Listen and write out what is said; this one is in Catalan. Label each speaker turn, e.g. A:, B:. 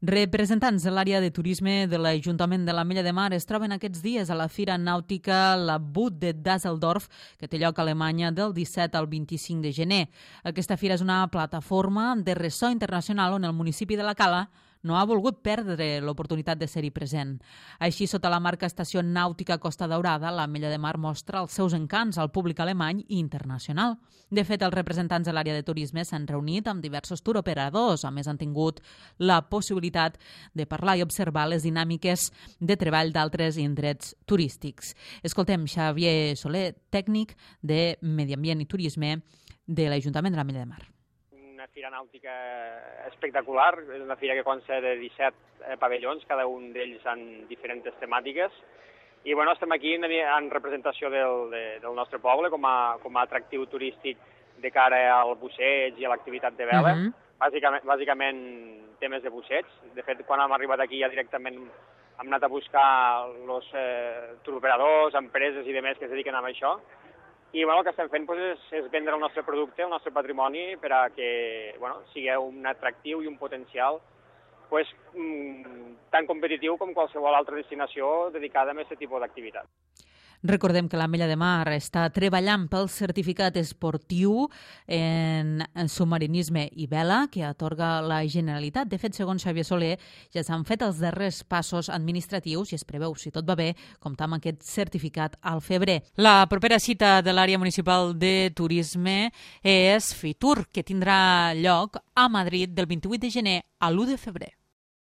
A: Representants de l'àrea de turisme de l'Ajuntament de l'Ametlla de Mar es troben aquests dies a la Fira Nàutica La Boot de Düsseldorf, que té lloc a Alemanya del 17 al 25 de gener. Aquesta fira és una plataforma de ressò internacional on el municipi de la Cala no ha volgut perdre l'oportunitat de ser-hi present. Així, sota la marca Estació Nàutica Costa Daurada, l'Ametlla de Mar mostra els seus encants al públic alemany i internacional. De fet, els representants de l'àrea de turisme s'han reunit amb diversos touroperadors. A més, han tingut la possibilitat de parlar i observar les dinàmiques de treball d'altres indrets turístics. Escoltem Xavier Soler, tècnic de Medi Ambient i Turisme de l'Ajuntament de l'Ametlla de Mar.
B: Una fira nàutica espectacular, és una fira que consta de 17 pavellons, cada un d'ells amb diferents temàtiques. I bueno, estem aquí en representació del nostre poble com a atractiu turístic de cara al busseig i a l'activitat de vela. Bàsicament temes de busseig. De fet, quan hem arribat aquí ja directament hem anat a buscar els touroperadors, empreses i demés que es dediquen a això. I bueno, el que estem fent és vendre el nostre producte, el nostre patrimoni, per a que sigui un atractiu i un potencial tan competitiu com qualsevol altra destinació dedicada a aquest tipus d'activitat.
A: Recordem que l'Ametlla de Mar està treballant pel certificat esportiu en submarinisme i vela que atorga la Generalitat. De fet, segons Xavier Soler, ja s'han fet els darrers passos administratius i es preveu, si tot va bé, comptar amb aquest certificat al febrer. La propera cita de l'àrea municipal de turisme és Fitur, que tindrà lloc a Madrid del 28 de gener a l'1 de febrer.